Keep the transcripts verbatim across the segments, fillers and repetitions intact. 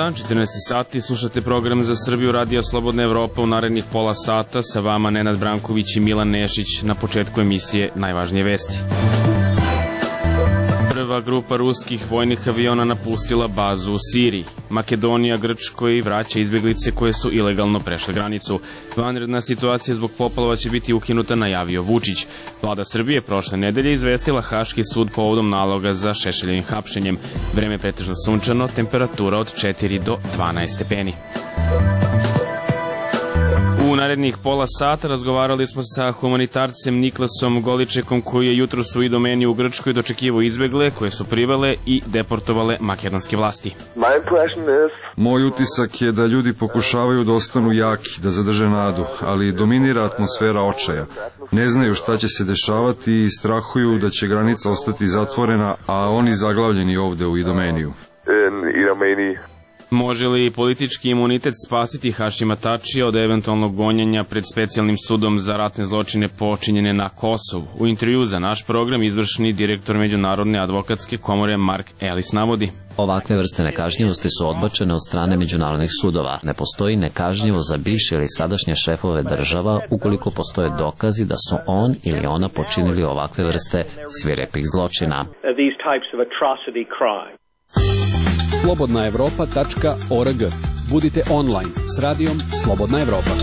dan, četrnaesti sati, slušate program za Srbiju Radija Slobodna Evropa u narednih pola sata. Sa vama Nenad Branković i Milan Nešić. Na početku emisije najvažnije vesti. Prva grupa ruskih vojnih aviona napustila bazu u Siriji. Makedonija Grčkoj vraća izbjeglice koje su ilegalno prešle granicu. Vanredna situacija zbog poplava će biti ukinuta, najavio Vučić. Vlada Srbije prošle nedelje izvestila Haški sud povodom naloga za Šešeljevim hapšenjem. Vreme pretežno sunčano, temperatura od četiri do dvanaest stepeni. U narednih pola sata razgovarali smo sa humanitarcem Niklasom Goličekom, koji je jutros u Idomeni u Grčkoj dočekivao izbegle koje su privele i deportovale makedonske vlasti. Moj utisak je da ljudi pokušavaju da ostanu jaki, da zadrže nadu, ali dominira atmosfera očaja. Ne znaju šta će se dešavati i strahuju da će granica ostati zatvorena, a oni zaglavljeni ovde u Idomeniju. Može li politički imunitet spasiti Hašima Tačija od eventualnog gonjenja pred specijalnim sudom za ratne zločine počinjene na Kosovu? U intervju za naš program izvršni direktor Međunarodne advokatske komore Mark Ellis navodi: ovakve vrste nekažnjivosti su odbačene od strane međunarodnih sudova. Ne postoji nekažnjivo za bivše ili sadašnje šefove država ukoliko postoje dokazi da su on ili ona počinili ovakve vrste svirepih zločina. slobodna evropa tačka org. Budite online s radijom Slobodna Evropa.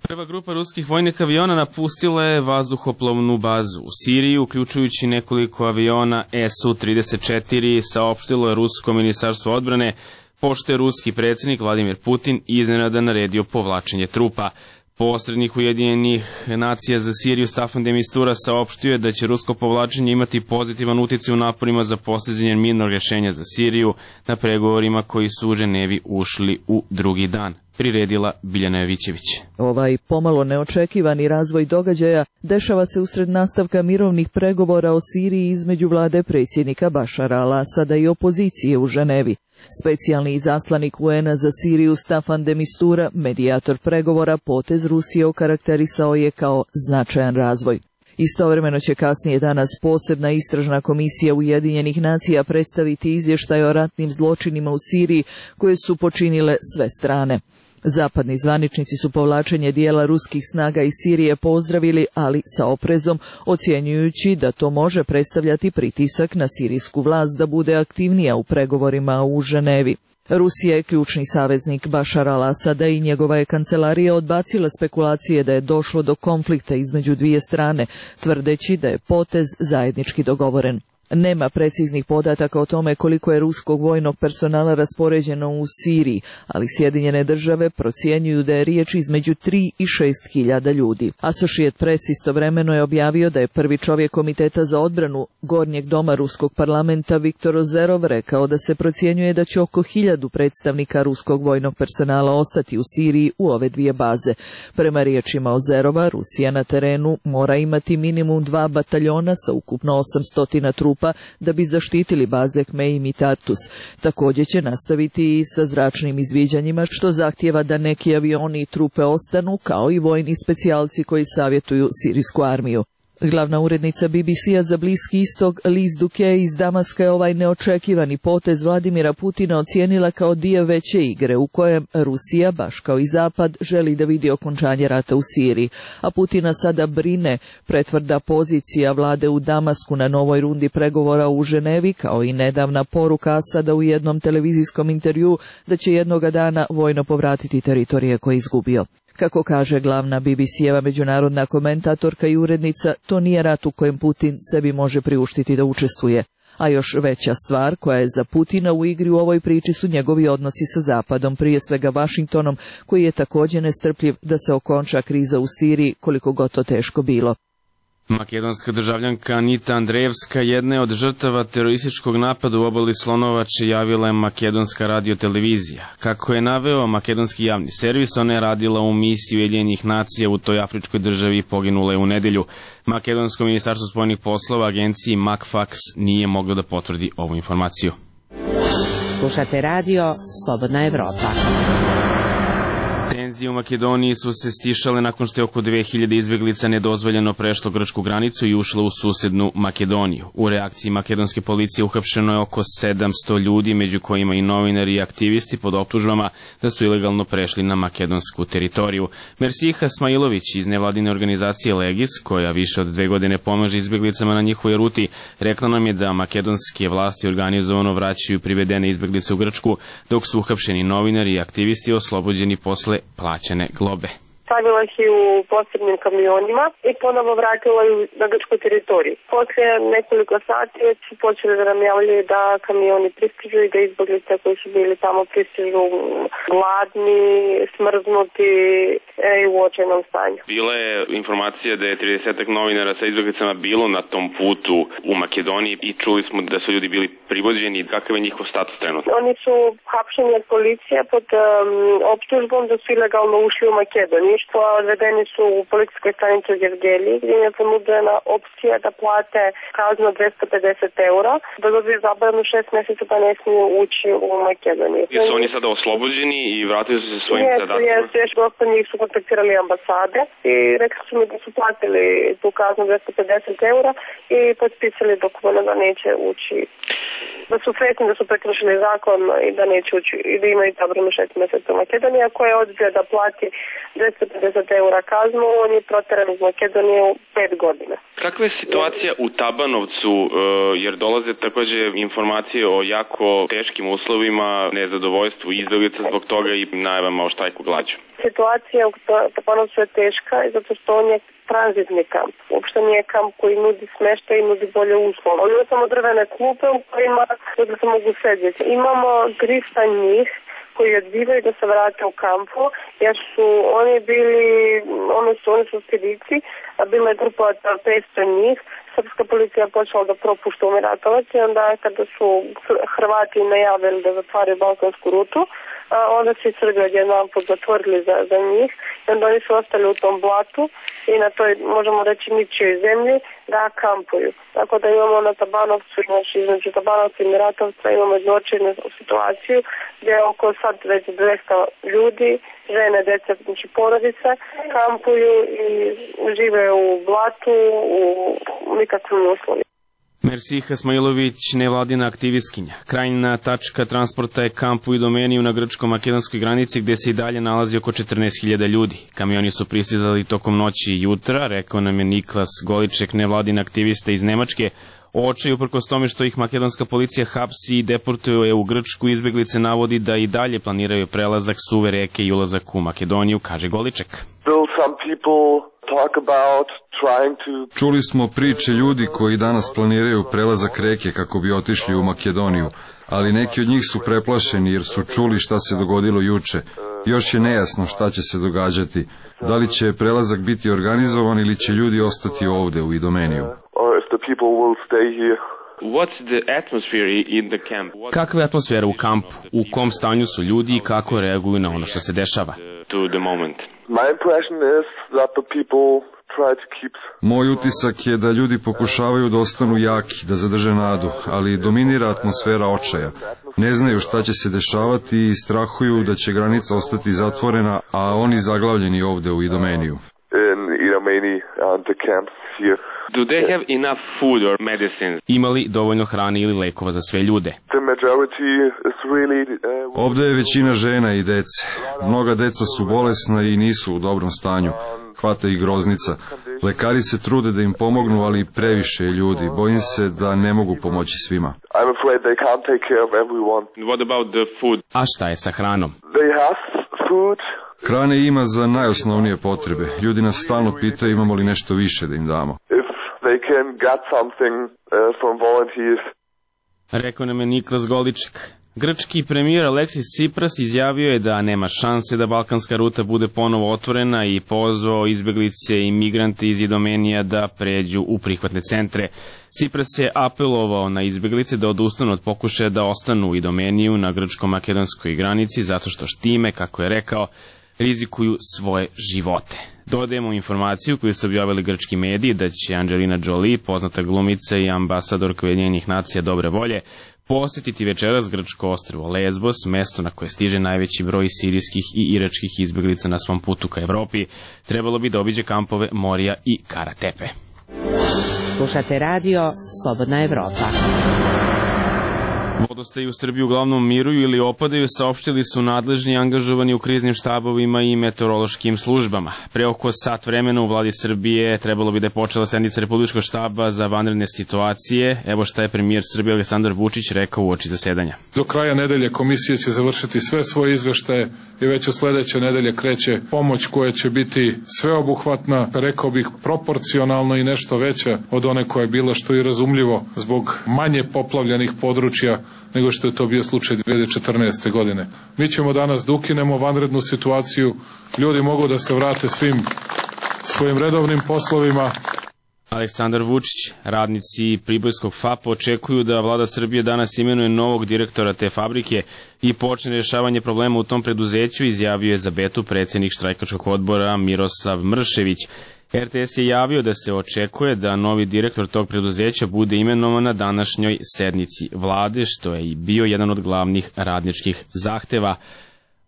Prva grupa ruskih vojnih aviona napustila je vazduhoplovnu bazu u Siriji, uključujući nekoliko aviona S U trideset četiri, saopštilo je rusko ministarstvo odbrane, pošto je ruski predsjednik Vladimir Putin iznenada naredio povlačenje trupa. Posrednik Ujedinjenih nacija za Siriju Staffan de Mistura saopštio je da će rusko povlačenje imati pozitivan utjecaj u naporima za postizanje mirnog rješenja za Siriju na pregovorima koji su u Ženevi ušli u drugi dan. Priredila Biljana Jovićević. Ovaj pomalo neočekivani razvoj događaja dešava se usred nastavka mirovnih pregovora o Siriji između vlade predsjednika Bašara al-Asada i opozicije u Ženevi. Specijalni izaslanik U N-a za Siriju Staffan de Mistura, medijator pregovora, potez Rusije okarakterisao je kao značajan razvoj. Istovremeno će kasnije danas posebna istražna komisija Ujedinjenih nacija predstaviti izvještaj o ratnim zločinima u Siriji koje su počinile sve strane. Zapadni zvaničnici su povlačenje dijela ruskih snaga iz Sirije pozdravili, ali sa oprezom, ocjenjujući da to može predstavljati pritisak na sirijsku vlast da bude aktivnija u pregovorima u Ženevi. Rusija je ključni saveznik Bašara al-Asada i njegova je kancelarija odbacila spekulacije da je došlo do konflikta između dvije strane, tvrdeći da je potez zajednički dogovoren. Nema preciznih podataka o tome koliko je ruskog vojnog personala raspoređeno u Siriji, ali Sjedinjene države procjenjuju da je riječ između tri i šest hiljada ljudi. Associated Press istovremeno je objavio da je prvi čovjek Komiteta za odbranu Gornjeg doma ruskog parlamenta Viktor Ozerov rekao da se procjenjuje da će oko hiljadu predstavnika ruskog vojnog personala ostati u Siriji u ove dvije baze. Prema riječima Ozerova, Rusija na terenu mora imati minimum dva bataljona sa ukupno osamsto trupa da bi zaštitili baze Kmeim i Tartus. Također će nastaviti i sa zračnim izviđanjima, što zahtijeva da neki avioni i trupe ostanu, kao i vojni specijalci koji savjetuju sirijsku armiju. Glavna urednica B B C-a za Bliski istok Liz Duque iz Damaska je ovaj neočekivani potez Vladimira Putina ocijenila kao dio veće igre u kojem Rusija, baš kao i Zapad, želi da vidi okončanje rata u Siriji, a Putina sada brine pretvrda pozicija vlade u Damasku na novoj rundi pregovora u Ženevi, kao i nedavna poruka Asada u jednom televizijskom intervjuu da će jednoga dana vojno povratiti teritorije koje je izgubio. Kako kaže glavna B B C-eva međunarodna komentatorka i urednica, to nije rat u kojem Putin sebi može priuštiti da učestvuje. A još veća stvar koja je za Putina u igri u ovoj priči su njegovi odnosi sa Zapadom, prije svega Vašingtonom, koji je također nestrpljiv da se okonča kriza u Siriji, koliko god to teško bilo. Makedonska državljanka Anita Andrejevska, jedna je od žrtava terorističkog napada u obali Slonovače, javila je makedonska radiotelevizija. Kako je naveo makedonski javni servis, ona je radila u misiji Ujedinjenih nacija u toj afričkoj državi i poginula je u nedelju. Makedonsko ministarstvo spoljnih poslova agenciji MACFAX nije moglo da potvrdi ovu informaciju. Slušate radio Slobodna Evropa. Tenzije u Makedoniji su se stišale nakon što je oko dve hiljade izbeglica nedozvoljeno prešlo grčku granicu i ušlo u susednu Makedoniju. U reakciji makedonske policije uhapšeno je oko sedamsto ljudi, među kojima i novinari i aktivisti pod optužbama da su ilegalno prešli na makedonsku teritoriju. Mersiha Smailović iz nevladine organizacije Legis, koja više od dve godine pomaže izbeglicama na njihovoj ruti, rekla nam je da makedonske vlasti organizovano vraćaju privedene izbeglice u Grčku, dok su uhapšeni novinari i aktivisti oslobođeni posle plaćene globe. Stavila ih i u posebnim kamionima i ponovo vratila ih na grčku teritoriju. Poslije nekoliko sati već su počeli da nam javljaju da kamioni pristižu i da izbeglice koji su bili tamo pristižu gladni, smrznuti i u očajnom stanju. Bila je informacija da je tridesetak novinara sa izbeglicama bilo na tom putu u Makedoniji i čuli smo da su ljudi bili privođeni. Kakav je njihov status trenutno? Oni su hapšeni od policije pod um, optužbom da su ilegalno ušli u Makedoniju. Odvedeni su u policijskoj stanici u Gevgeliji, gdje im je ponuđena opcija da plate kaznu dvesta pedeset eura, da dobiju zabranu šest mjeseca pa ne smiju ući u Makedoniju. Jesu oni sada oslobođeni i vratili su se svojim zadacima? Jesu, jesu, dosta njih su kontaktirali ambasade i rekli su mi da su platili tu kaznu dvesta pedeset eura i potpisali dokument da neće ući, da su sretni da su prekršili zakon i da neće ući i da imaju zabranu šest mjeseca u Makedoniji, koja je odbio da plati dvesta pedeset eura kaznu, on je protjeran iz Makedonije u pet godina. Kakva je situacija u Tabanovcu, jer dolaze također informacije o jako teškim uslovima, nezadovoljstvu izbeglica zbog toga i najavama o štajku glađu? Situacija u Tabanovcu je teška i zato što on je tranzitni kamp. Uopšte nije kamp koji nudi smeštaj i nudi bolje uslove. On ima samo drvene klupe u kojima da se mogu sedjeti. Imamo trista njih koji odbivaju da se vrate u kampu, jer su oni bili, oni su, oni su spedici, a bila je grupa od petsto njih. Srpska policija počela da propušta umiratovac i onda kada su Hrvati najavili da zatvaraju balkansku rutu, onda su i Srbi odjednom zatvorili za, za njih i onda oni su ostali u tom blatu i na toj, možemo reći, ničijoj zemlji da kampuju. Tako da imamo na Tabanovcu, znači između Tabanovca i Miratovca imamo jednočinu situaciju gdje je oko sad već dvesta ljudi, žene, djeca, znači porodice, kampuju i žive u blatu, u nikakvim uslovima. Mersiha Smailović, nevladina aktivistkinja. Krajnja tačka transporta je kamp u Idomeniju na grčko-makedonskoj granici, gdje se i dalje nalazi oko četrnaest hiljada ljudi. Kamioni su pristizali tokom noći i jutra, rekao nam je Niklas Goliček, nevladin aktivista iz Nemačke. Očaj, uprkos tome što ih makedonska policija hapsi i deportuje u Grčku, izbeglice navodi da i dalje planiraju prelazak suve reke i ulazak u Makedoniju, kaže Goliček. Čuli smo priče ljudi koji danas planiraju prelazak reke kako bi otišli u Makedoniju, ali neki od njih su preplašeni jer su čuli šta se dogodilo juče. Još je nejasno šta će se događati. Da li će prelazak biti organizovan ili će ljudi ostati ovde u Idomeniju. Kakva je atmosfera u kampu? U kom stanju su ljudi i kako reaguju na ono što se dešava? Moj utisak je da ljudi pokušavaju da ostanu jaki, da zadrže nadu, ali dominira atmosfera očaja. Ne znaju šta će se dešavati i strahuju da će granica ostati zatvorena, a oni zaglavljeni ovde u Idomeniju. Do they have enough food or medicines? Ima li dovoljno hrane ili lekova za sve ljude? Ovde je većina žena i dece. Mnoga deca su bolesna i nisu u dobrom stanju. Hvata ih groznica. Lekari se trude da im pomognu, ali previše je ljudi. Bojim se da ne mogu pomoći svima. What about the food? A šta je sa hranom? Hrane ima za najosnovnije potrebe. Ljudi nas stalno pitaju imamo li nešto više da im damo. Rekao nam je Niklas Goliček. Grčki premijer Aleksis Tsipras izjavio je da nema šanse da balkanska ruta bude ponovo otvorena i pozvao izbeglice i migrante iz Idomenija da pređu u prihvatne centre. Tsipras je apelovao na izbeglice da odustanu od pokušaja da ostanu u Idomeniju na grčko-makedonskoj granici zato što štime, kako je rekao, rizikuju svoje živote. Dodajemo informaciju koju su objavili grčki mediji da će Angelina Jolie, poznata glumica i ambasadorka Ujedinjenih nacija dobre volje, posjetiti večeras grčko ostrvo Lesbos, mesto na koje stiže najveći broj sirijskih i iračkih izbeglica na svom putu ka Evropi. Trebalo bi da obiđe kampove Morija i Karatepe. Slušate radio Slobodna Evropa. Vodostaji u Srbiji uglavnom miruju ili opadaju, saopštili su nadležni angažovani u kriznim štabovima i meteorološkim službama. Pre oko sat vremena u vladi Srbije trebalo bi da je počela sednica Republičkog štaba za vanredne situacije. Evo šta je premijer Srbije Aleksandar Vučić rekao uoči zasedanja. Do kraja nedelje komisija će završiti sve svoje izveštaje i već od sledeće nedelje kreće pomoć koja će biti sveobuhvatna, rekao bih proporcionalno i nešto veća od one koja je bila, što je razumljivo zbog manje poplavljenih područja nego što je to bio slučaj dve hiljade četrnaeste. godine. Mi ćemo danas da ukinemo vanrednu situaciju, ljudi mogu da se vrate svim svojim redovnim poslovima. Aleksandar Vučić, radnici Pribojskog F A P očekuju da vlada Srbije danas imenuje novog direktora te fabrike i počne rješavanje problema u tom preduzeću, izjavio je za Betu predsjednik štrajkačkog odbora Miroslav Mršević. R T S je javio da se očekuje da novi direktor tog preduzeća bude imenovan na današnjoj sednici vlade, što je i bio jedan od glavnih radničkih zahteva.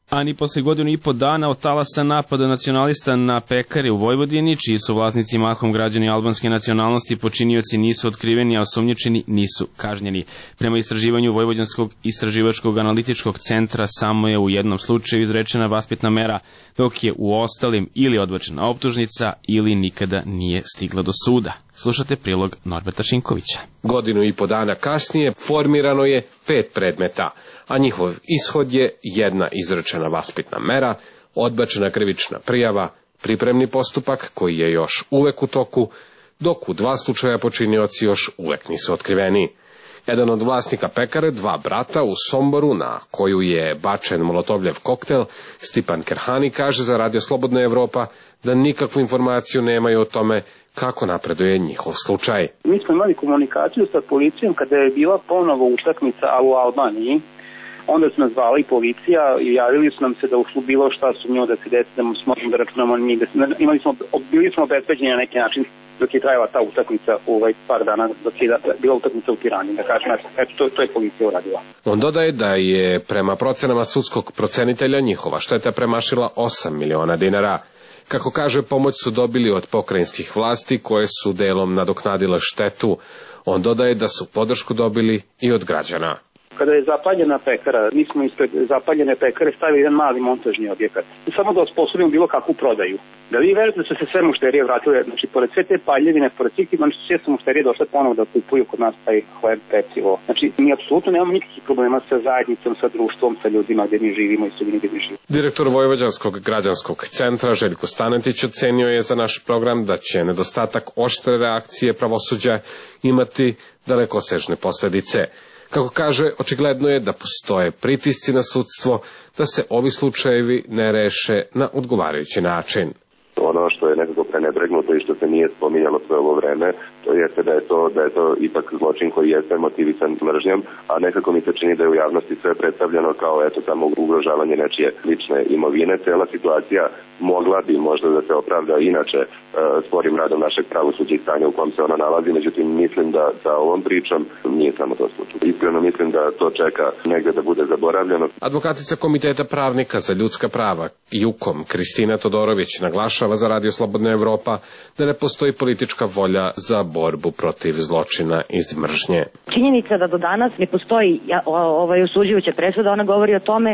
A ni posle godinu i po dana od talasa napada nacionalista na pekare u Vojvodini, čiji su vlasnici mahom građani albanske nacionalnosti, počinioci nisu otkriveni, a osumnjičeni nisu kažnjeni. Prema istraživanju Vojvođanskog istraživačkog analitičkog centra samo je u jednom slučaju izrečena vaspitna mera, dok je u ostalim ili odbačena optužnica ili nikada nije stigla do suda. Slušate prilog Norberta Šinkovića. Godinu i po dana kasnije formirano je pet predmeta, a njihov ishod je jedna izrečena vaspitna mera, odbačena krivična prijava, pripremni postupak koji je još uvek u toku, dok u dva slučaja počinioci još uvek nisu otkriveni. Jedan od vlasnika pekare, dva brata u Somboru, na koju je bačen molotovljev koktel, Stipan Kerhani, kaže za Radio Slobodna Evropa da nikakvu informaciju nemaju o tome kako napreduje njihov slučaj. Mi smo imali komunikaciju sa policijom kada je bila ponovo utakmica u Albaniji. Onda su nas zvala i policija i javili su nam se da u bilo šta sumnjivo da se desi, da smo da računamo njih. Imali smo, bili smo obezbeđeni na neki način dok je trajala ta utakmica ovaj par dana, dok je bila utakmica u Tirani. Da kažem, eto, to, to je policija uradila. On dodaje da je prema procenama sudskog procenitelja njihova šteta premašila osam miliona dinara. Kako kaže, pomoć su dobili od pokrajinskih vlasti koje su delom nadoknadile štetu. On dodaje da su podršku dobili i od građana. Kada je zapaljena pekara, mi smo ispred zapaljene pekare stavili jedan mali montažni objekat. Samo da osposobimo bilo kakvu prodaju. Da vi verujete da su se sve mušterije vratile, znači pored sve te paljevine, pored svih tih, znači sve su mušterije došle ponovo da kupuju kod nas taj hleb, pecivo. Znači mi apsolutno nemamo nikakvih problema sa zajednicom, sa društvom, sa ljudima gdje mi živimo i sredini gdje mi živimo. Direktor Vojvođanskog građanskog centra Željko Stanetić ocenio je za naš program da će nedostatak oštre reakcije pravosuđa imati dalekosežne posledice. Kako kaže, očigledno je da postoje pritisci na sudstvo da se ovi slučajevi ne reše na odgovarajući način. Ono što je nekako prenebregnuto i što se nije spominjalo sve ovo vreme, to jeste da je to, da je to ipak zločin koji jeste motivisan mržnjom, a nekako mi se čini da je u javnosti sve predstavljeno kao eto samo ugrožavanje nečije lične imovine. Cela situacija mogla bi možda da se opravda inače e, sporim radom našeg pravosuđa i stanja u kom se ona nalazi, međutim mislim da sa ovom pričom nije samo to slučaj. Iskreno mislim da to čeka negde da bude zaboravljeno. Advokatica Komiteta pravnika za ljudska prava Jukom Kristina Todorović naglašava za Radio Slobodna Evropa da ne postoji politička volja za borbu protiv zločina iz mržnje. Činjenica da do danas ne postoji ovaj osuđujuća presuda, ona govori o tome,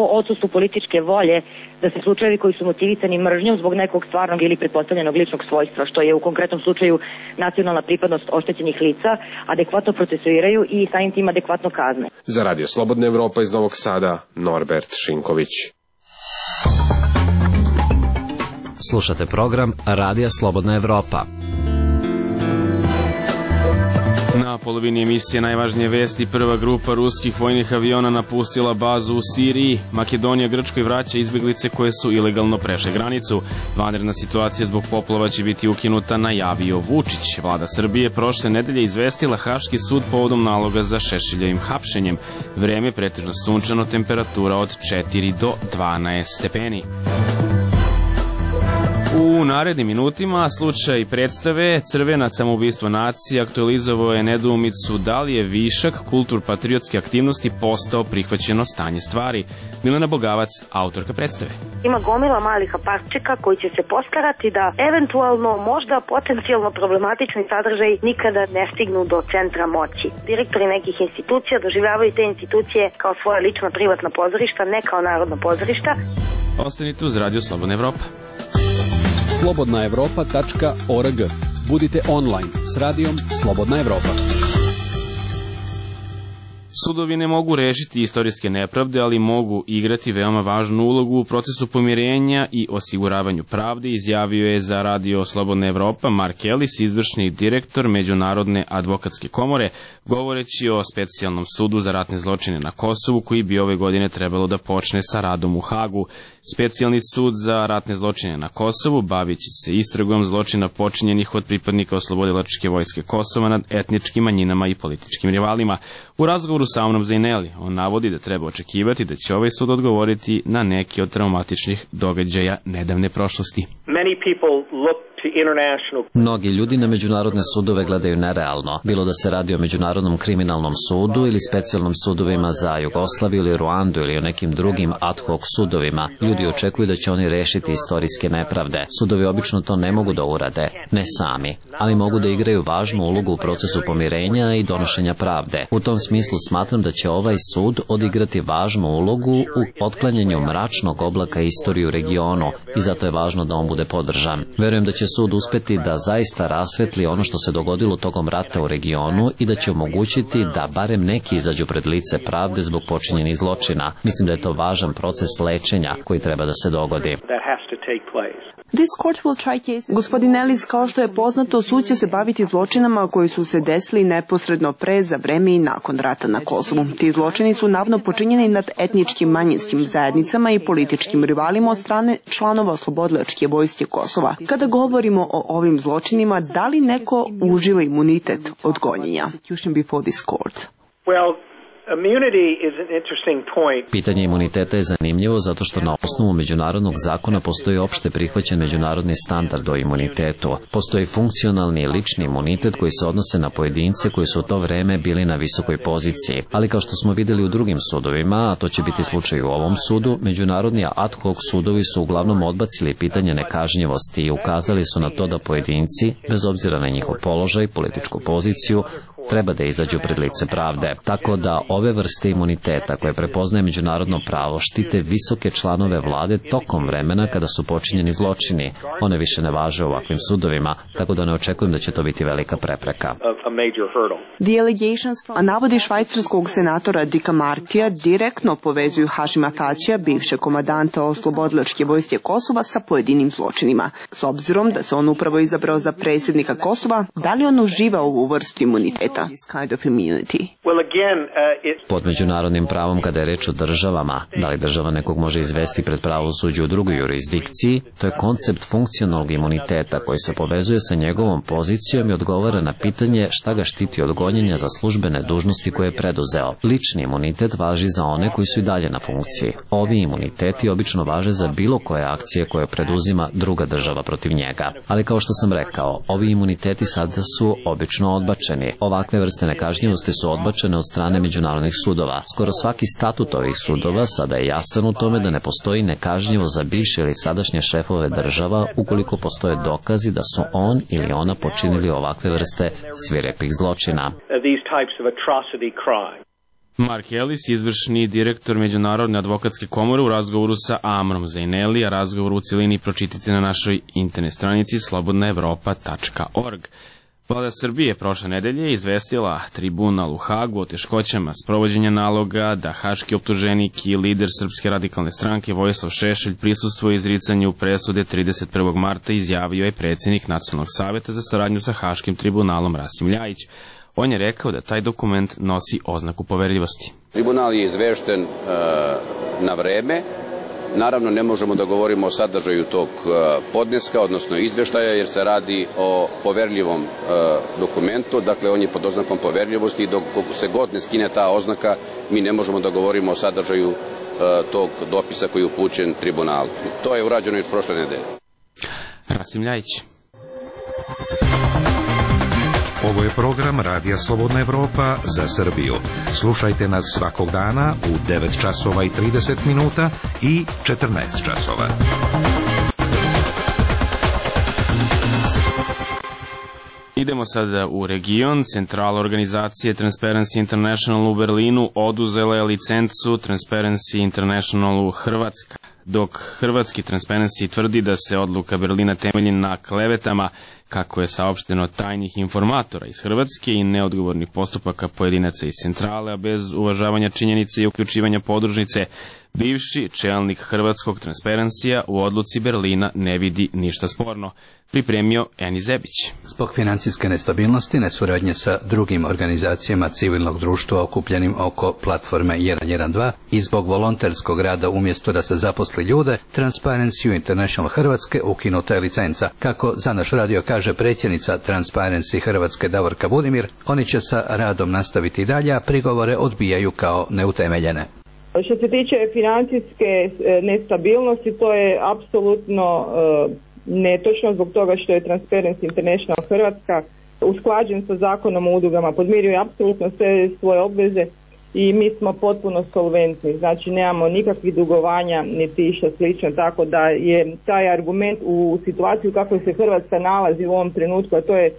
o odsustvu političke volje da se slučajevi koji su motivisani mržnjom zbog nekog stvarnog ili pretpostavljenog ličnog svojstva, što je u konkretnom slučaju nacionalna pripadnost oštećenih lica, adekvatno procesuiraju i samim tim adekvatno kazne. Za Radio Slobodna Evropa iz Novog Sada, Norbert Šinković. Slušate program Radija Slobodna Evropa. Na polovini emisije najvažnije vesti: prva grupa ruskih vojnih aviona napustila bazu u Siriji, Makedonija Grčkoj vraća izbjeglice koje su ilegalno prešle granicu, vanredna situacija zbog poplava će biti ukinuta, najavio Vučić. Vlada Srbije prošle nedelje izvestila Haški sud povodom naloga za Šešiljevim hapšenjem. Vreme pretežno sunčano, temperatura od četiri do dvanaest stepeni. U narednim minutima slučaj predstave Crvena samoubistvo nacije aktualizovao je nedoumicu da li je višak kultur-patriotske aktivnosti postao prihvaćeno stanje stvari. Milena Bogavac, autorka predstave. Ima gomila malih aparčeka koji će se postarati da eventualno možda potencijalno problematični sadržaj nikada ne stignu do centra moći. Direktori nekih institucija doživljavaju te institucije kao svoja lična privatna pozorišta, ne kao narodna pozorišta. Ostanite uz Radio Slobodna Evropa. slobodna evropa tačka org. Budite online s radijom Slobodna Evropa. Sudovi ne mogu rešiti istorijske nepravde, ali mogu igrati veoma važnu ulogu u procesu pomirenja i osiguravanju pravde, izjavio je za Radio Slobodna Evropa Mark Ellis, izvršni direktor Međunarodne advokatske komore, govoreći o specijalnom sudu za ratne zločine na Kosovu, koji bi ove godine trebalo da počne sa radom u Hagu. Specijalni sud za ratne zločine na Kosovu bavići se istragom zločina počinjenih od pripadnika Oslobodilačke vojske Kosova nad etničkim manjinama i političkim rivalima. U razgovoru sa Amrom Zaineli on navodi da treba očekivati da će ovaj sud odgovoriti na neki od traumatičnih događaja nedavne prošlosti. Mnogi ljudi na međunarodne sudove gledaju nerealno, bilo da se radi o Međunarodnom kriminalnom sudu ili specijalnom sudovima za Jugoslaviju ili Ruandu ili o nekim drugim ad hoc sudovima. Ljudi očekuju da će oni rešiti istorijske nepravde. Sudovi obično to ne mogu da urade, ne sami, ali mogu da igraju važnu ulogu u procesu pomirenja i donošenja pravde. U tom smislu smatram da će ovaj sud odigrati važnu ulogu u otklanjanju mračnog oblaka istorije u regionu i zato je važno da on bude podržan. Verujem da će sud uspeti da zaista rasvetli ono što se dogodilo tokom rata u regionu i da će omogućiti da barem neki izađu pred lice pravde zbog počinjenih zločina. Mislim da je to važan proces lečenja koji treba da se dogodi. Gospodin Ellis, kao što je poznato, sud će se baviti zločinama koji su se desili neposredno pre, za vreme i nakon rata na Kosovu. Ti zločini su navodno počinjeni nad etničkim manjinskim zajednicama i političkim rivalima od strane članova Oslobodilačke vojske Kosova. Kada govorimo o ovim zločinima, da li neko uživa imunitet od gonjenja? Pitanje imuniteta je zanimljivo zato što na osnovu međunarodnog zakona postoji opšte prihvaćen međunarodni standard o imunitetu. Postoji funkcionalni i lični imunitet koji se odnose na pojedince koji su u to vreme bili na visokoj poziciji. Ali kao što smo videli u drugim sudovima, a to će biti slučaj u ovom sudu, međunarodni ad hoc sudovi su uglavnom odbacili pitanje nekažnjivosti i ukazali su na to da pojedinci, bez obzira na njihov položaj, političku poziciju, treba da izađu pred lice pravde. Tako da ove vrste imuniteta koje prepoznaje međunarodno pravo štite visoke članove vlade tokom vremena kada su počinjeni zločini. One više ne važe u ovakvim sudovima, tako da ne očekujem da će to biti velika prepreka. A navodi švajcarskog senatora Dicka Martija direktno povezuju Hašima Tačija, bivšeg komadanta Oslobodilačke vojske Kosova, sa pojedinim zločinima. S obzirom da se on upravo izabrao za predsjednika Kosova, da li on uživa ovu vrstu imuniteta? Pod međunarodnim pravom, kada je reč o državama, da li država nekog može izvesti pred pravosuđe u drugoj jurisdikciji, to je koncept funkcionalnog imuniteta koji se povezuje sa njegovom pozicijom i odgovara na pitanje šta ga štiti od gonjenja za službene dužnosti koje je preduzeo. Lični imunitet važi za one koji su i dalje na funkciji. Ovi imuniteti obično važe za bilo koje akcije koje preduzima druga država protiv njega. Ali kao što sam rekao, ovi imuniteti sada su obično odbačeni. Ovakve vrste nekažnjivosti su odbačene od strane međunarodnih sudova. Skoro svaki statut ovih sudova sada je jasan u tome da ne postoji nekažnjivo za bivše ili sadašnje šefove država ukoliko postoje dokazi da su on ili ona počinili ovakve vrste svirepih zločina. Mark Ellis, izvršni direktor Međunarodne advokatske komore, u razgovoru sa Amrom Zaineli, a razgovor u cilini pročitite na našoj internet stranici slobodna evropa tačka org. Vlada Srbije prošle nedelje izvestila tribunal u Hagu o teškoćama sprovođenja naloga da haški optuženik i lider Srpske radikalne stranke Vojislav Šešelj prisustvuje izricanju presude trideset prvog marta, izjavio je predsjednik Nacionalnog saveta za saradnju sa Haškim tribunalom Rasim Ljajić. On je rekao da taj dokument nosi oznaku poverljivosti. Tribunal je izvešten uh, na vreme. Naravno, ne možemo da govorimo o sadržaju tog podneska, odnosno izveštaja, jer se radi o poverljivom dokumentu, dakle on je pod oznakom poverljivosti i dok se god ne skine ta oznaka, mi ne možemo da govorimo o sadržaju tog dopisa koji je upućen tribunalu. To je urađeno još prošle nedelje. Rasim Ljajić. Ovo je program Radija Slobodna Evropa za Srbiju. Slušajte nas svakog dana u devet časova i trideset minuta i četrnaest časova. Idemo sada u region. Centrala organizacije Transparency International u Berlinu oduzela je licencu Transparency International u Hrvatska, dok hrvatski Transparency tvrdi da se odluka Berlina temelji na klevetama, kako je saopšteno, tajnih informatora iz Hrvatske i neodgovornih postupaka pojedinaca iz centrale, a bez uvažavanja činjenice i uključivanja podružnice. Bivši čelnik hrvatskog Transparencija u odluci Berlina ne vidi ništa sporno. Pripremio Eni Zebić. Zbog financijske nestabilnosti, nesuradnje sa drugim organizacijama civilnog društva okupljenim oko platforme jedan jedan dva i zbog volonterskog rada umjesto da se zaposli ljude, Transparency International Hrvatske ukinuta je licenca. Kako za naš radio kaže predsjednica Transparency Hrvatske Davorka Budimir, oni će sa radom nastaviti i dalje, a prigovore odbijaju kao neutemeljene. Što se tiče financijske nestabilnosti, to je apsolutno netočno zbog toga što je Transparency International Hrvatska usklađen sa zakonom o udrugama, podmiruje apsolutno sve svoje obveze i mi smo potpuno solventni, znači nemamo nikakvih dugovanja niti išta slično, tako da je taj argument u situaciji u kakvoj se Hrvatska nalazi u ovom trenutku, a to je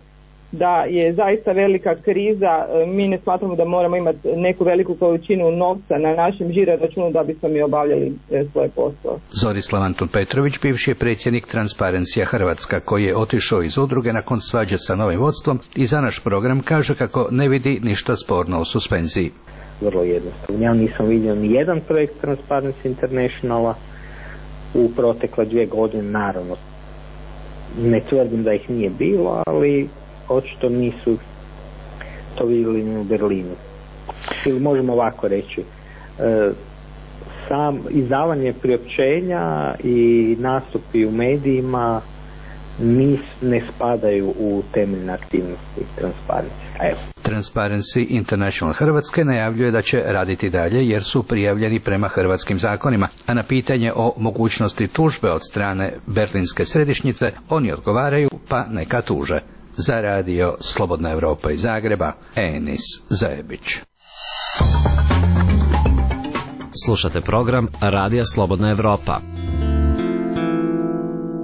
da je zaista velika kriza, mi ne smatramo da moramo imati neku veliku količinu novca na našem žiro računu da bismo mi obavljali svoje poslove. Zorislav Antun Petrović, bivši je predsjednik Transparencija Hrvatska, koji je otišao iz udruge nakon svađe sa novim vodstvom i za naš program kaže kako ne vidi ništa sporno u suspenziji. Vrlo jednostavno. Ja nisam vidio ni jedan projekt Transparency Internationala u protekle dvije godine, naravno. Ne tvrdim da ih nije bilo, ali očito nisu to vidjeli u Berlinu. Ili možemo ovako reći, e, sam izdavanje priopćenja i nastupi u medijima nis, ne spadaju u temeljne aktivnosti Transparency. Evo. Transparency International Hrvatske najavljuje da će raditi dalje jer su prijavljeni prema hrvatskim zakonima, a na pitanje o mogućnosti tužbe od strane berlinske središnjice oni odgovaraju pa neka tuže. Za radio Slobodna Evropa iz Zagreba, Enis Zebić. Slušate program Radija Slobodna Evropa.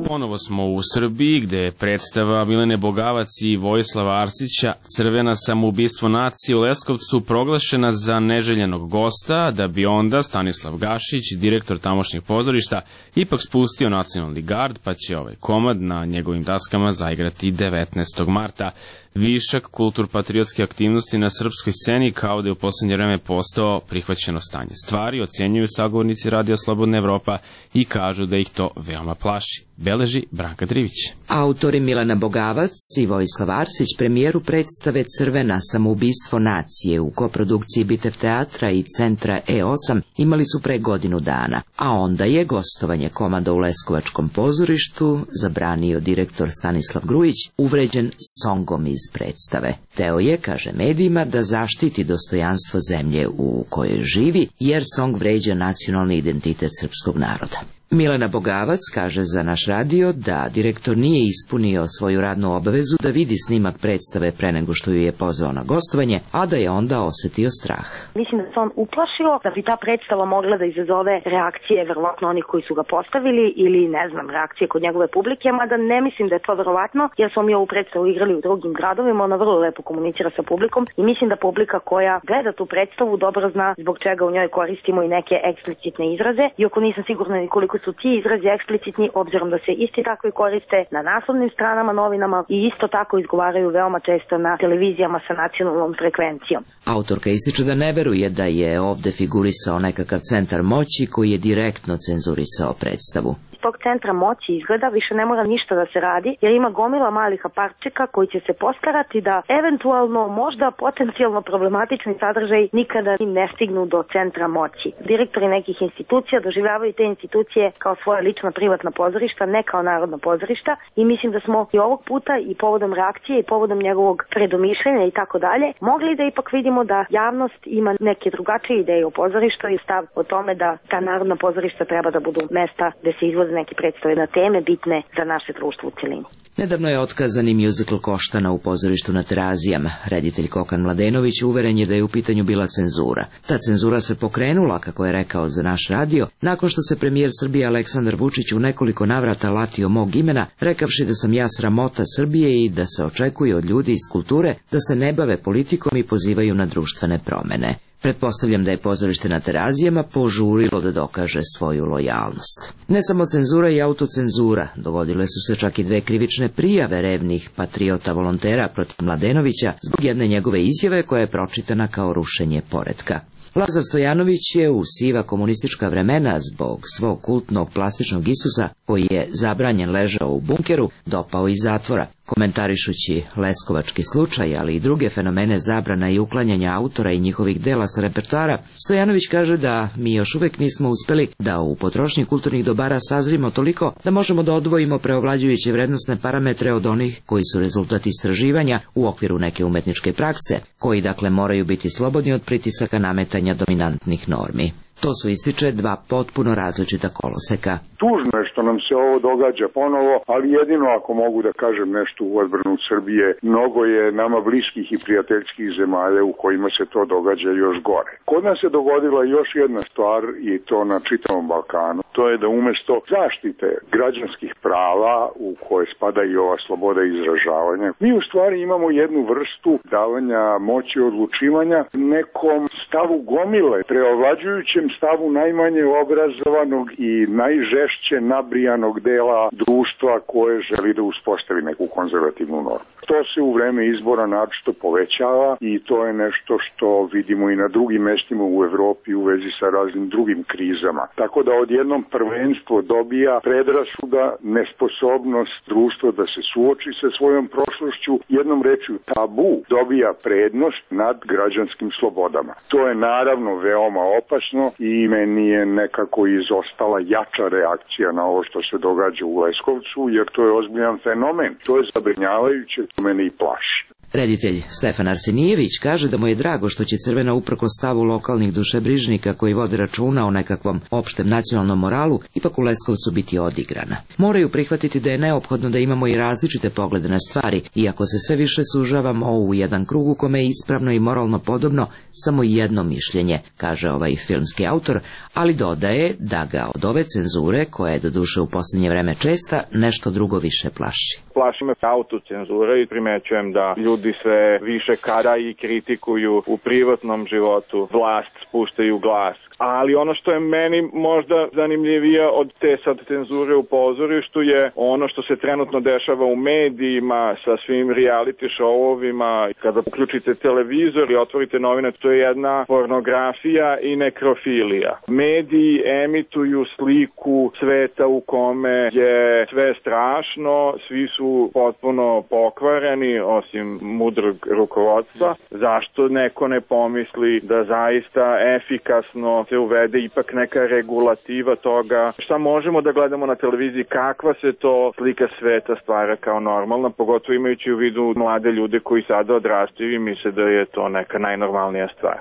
Ponovo smo u Srbiji, gde je predstava Milene Bogavac i Vojislava Arsića Crvena samoubistvo nacije u Leskovcu proglašena za neželjenog gosta, da bi onda Stanislav Gašić, direktor tamošnjeg pozorišta, ipak spustio nacionalni gard, pa će ovaj komad na njegovim daskama zaigrati devetnaestog marta. Višak kulturpatriotske aktivnosti na srpskoj sceni kao da je u posljednje vreme postao prihvaćeno stanje stvari, ocjenjuju sagovornici Radija Slobodna Evropa i kažu da ih to veoma plaši. Beleži Branka Drivić. Autori Milena Bogavac i Vojislav Arsić premijeru predstave Crvena samoubistvo nacije u koprodukciji Bitev teatra i centra E osam imali su pre godinu dana, a onda je gostovanje komada u Leskovačkom pozorištu zabranio direktor Stanislav Grujić, uvređen songom iz predstave. Teo je, kaže medijima, da zaštiti dostojanstvo zemlje u kojoj živi, jer song vređa nacionalni identitet srpskog naroda. Milena Bogavac kaže za naš radio da direktor nije ispunio svoju radnu obavezu da vidi snimak predstave pre nego što ju je pozvao na gostovanje, a da je onda osetio strah. Mislim da se on uplašio da bi ta predstava mogla da izazove reakcije verovatno onih koji su ga postavili ili ne znam, reakcije kod njegove publike, mada ne mislim da je to verovatno, jer smo mi ovu predstavu igrali u drugim gradovima, ona vrlo lepo komunicira sa publikom i mislim da publika koja gleda tu predstavu dobro zna zbog čega u njoj koristimo i neke eksplicitne izraze, iako nisam sigurna ni koliko su ti izrazi eksplicitni, obzirom da se isti tako i koriste na naslovnim stranama, novinama i isto tako izgovaraju veoma često na televizijama sa nacionalnom frekvencijom. Autorka ističe da ne veruje da je ovde figurisao nekakav centar moći koji je direktno cenzurisao predstavu. Tog centra moći izgleda više ne mora ništa da se radi, jer ima gomila malih aparčeka koji će se postarati da eventualno možda potencijalno problematični sadržaj nikada ne stignu do centra moći. Direktori nekih institucija doživljavaju te institucije kao svoje lična privatna pozorišta, ne kao narodna pozorišta, i mislim da smo i ovog puta i povodom reakcije i povodom njegovog predomišljenja i tako dalje mogli da ipak vidimo da javnost ima neke drugačije ideje o pozorištu i stav o tome da ta narodna pozorišta treba da budu mesta gde se izvoze neke predstave na teme bitne za naše društvo u celini. Nedavno je otkazani mjuzikl Koštana u pozorištu na Terazijama. Reditelj Kokan Mladenović uveren je da je u pitanju bila cenzura. Ta cenzura se pokrenula, kako je rekao za naš radio, nakon što se premijer Srbije Aleksandar Vučić u nekoliko navrata latio mog imena, rekavši da sam ja sramota Srbije i da se očekuje od ljudi iz kulture da se ne bave politikom i pozivaju na društvene promene. Pretpostavljam da je pozorište na Terazijama požurilo da dokaže svoju lojalnost. Ne samo cenzura i autocenzura, dogodile su se čak i dve krivične prijave revnih patriota volontera protiv Mladenovića zbog jedne njegove izjave koja je pročitana kao rušenje poretka. Lazar Stojanović je u siva komunistička vremena zbog svog kultnog plastičnog Isusa, koji je zabranjen ležao u bunkeru, dopao iz zatvora. Komentarišući leskovački slučaj, ali i druge fenomene zabrana i uklanjanja autora i njihovih dela sa repertoara, Stojanović kaže da mi još uvek nismo uspeli da u potrošnji kulturnih dobara sazrimo toliko da možemo da odvojimo preovlađujuće vrednostne parametre od onih koji su rezultat istraživanja u okviru neke umetničke prakse, koji dakle moraju biti slobodni od pritisaka nametanja dominantnih normi. To su, ističe, dva potpuno različita koloseka. Tužno je što nam se ovo događa ponovo, ali jedino ako mogu da kažem nešto u odbranu Srbije, mnogo je nama bliskih i prijateljskih zemalja u kojima se to događa još gore. Kod nas se dogodila još jedna stvar i to na čitavom Balkanu. To je da umesto zaštite građanskih prava u koje spada i ova sloboda izražavanja, mi u stvari imamo jednu vrstu davanja moći odlučivanja nekom stavu gomile, preovlađujućem stavu najmanje obrazovanog i najžešće nabrijanog dela društva koje želi da uspostavi neku konzervativnu normu. To se u vreme izbora naročito povećava i to je nešto što vidimo i na drugim mestima u Evropi u vezi sa raznim drugim krizama. Tako da odjednom prvenstvo dobija predrasuda, nesposobnost društva da se suoči sa svojom prošlošću, jednom rečju tabu dobija prednost nad građanskim slobodama. To je naravno veoma opasno i meni je nekako izostala jača reakcija na ovo što se događa u Leskovcu, jer to je ozbiljan fenomen. To je zabrinjavajuće, to mene i plaši. Reditelj Stefan Arsenijević kaže da mu je drago što će Crvena uprkos stavu lokalnih dušebrižnika koji vode računa o nekakvom opštem nacionalnom moralu ipak u Leskovcu biti odigrana. Moraju prihvatiti da je neophodno da imamo i različite poglede na stvari, iako se sve više sužavamo u jedan krug u kome je ispravno i moralno podobno samo jedno mišljenje, kaže ovaj filmski autor, ali dodaje da ga od ove cenzure, koja je doduše u posljednje vreme česta, nešto drugo više plaši. Plaši me autocenzura i primećujem da ljudi sve više kada i kritikuju u privatnom životu, vlast spuštaju glas. Ali ono što je meni možda zanimljivije od te sad cenzure u pozorištu je ono što se trenutno dešava u medijima sa svim reality showovima. Kada uključite televizor i otvorite novine, to je jedna pornografija i nekrofilija. Mediji emituju sliku sveta u kome je sve strašno, svi su potpuno pokvareni, osim mudrog rukovodstva. Zašto neko ne pomisli da zaista efikasno se uvede ipak neka regulativa toga šta možemo da gledamo na televiziji, kakva se to slika sveta stvara kao normalna, pogotovo imajući u vidu mlade ljude koji sada odrastaju i misle da je to neka najnormalnija stvar.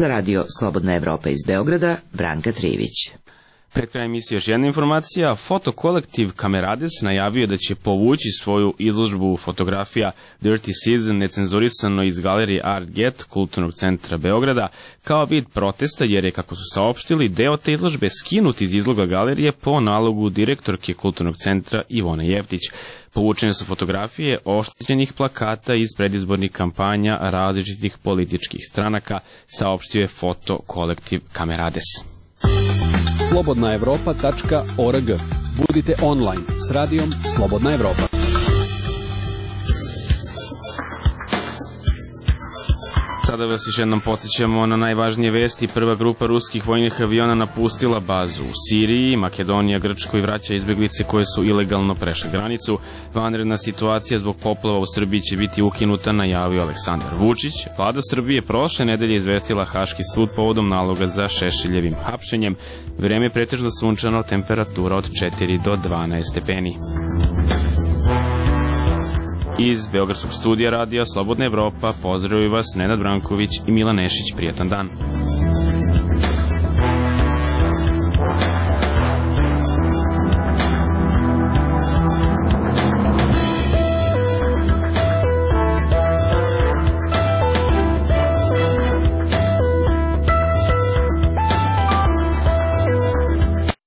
Za radio Slobodna Evropa iz Beograda, Branka Trivić. Pred krajem emisije još jedna informacija. Fotokolektiv Kamerades najavio da će povući svoju izložbu fotografija Dirty Season necenzurisano iz galerije Art Get Kulturnog centra Beograda kao vid protesta, jer je, kako su saopštili, deo te izložbe skinut iz izloga galerije po nalogu direktorke Kulturnog centra Ivone Jeftić. Povučene su fotografije oštećenih plakata iz predizbornih kampanja različitih političkih stranaka, saopštio je fotokolektiv Kamerades. slobodna evropa tačka org. Budite online s radijom Slobodna Evropa. Sada vas još jednom podsjećamo na najvažnije vesti. Prva grupa ruskih vojnih aviona napustila bazu u Siriji. Makedonija Grčkoj vraća izbeglice koje su ilegalno prešle granicu. Vanredna situacija zbog poplava u Srbiji će biti ukinuta, najavio Aleksandar Vučić. Vlada Srbije prošle nedelje izvestila Haški sud povodom naloga za Šešeljevim hapšenjem. Vreme je pretežno sunčano, temperatura od četiri do dvanaest stepeni. Iz Beogradskog studija radija Slobodna Evropa pozdravljaju vas Nenad Branković i Milan Nešić. Prijatan dan.